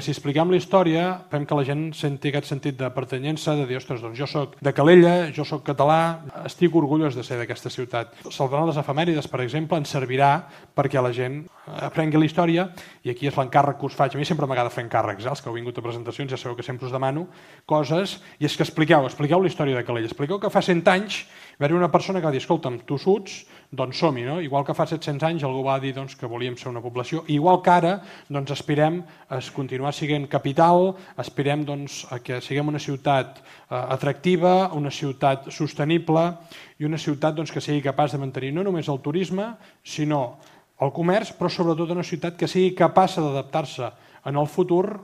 Si expliquem la història, fem que la gent senti aquest sentit de pertanyença, de dir, ostres, doncs jo soc de Calella, jo soc català, estic orgullós de ser d'aquesta ciutat. Celebrant les efemèrides, per exemple, ens servirà perquè la gent aprengui la història, i aquí és l'encàrrec que us faig. A mi sempre m'agrada fer encàrrecs, els que heu vingut a presentacions ja sabeu que sempre us demano coses, i és que expliqueu la història de Calella. Expliqueu que fa 100 anys va haver una persona que va dir, escolta'm, tossuts, doncs som-hi, no? Igual que fa 700 anys algú va dir que volíem ser una població, igual que ara aspirem a continuar sent capital, aspirem a que siguem una ciutat atractiva, una ciutat sostenible i una ciutat que sigui capaç de mantenir no només el turisme, sinó el comerç, però sobretot una ciutat que sigui capaç d'adaptar-se en el futur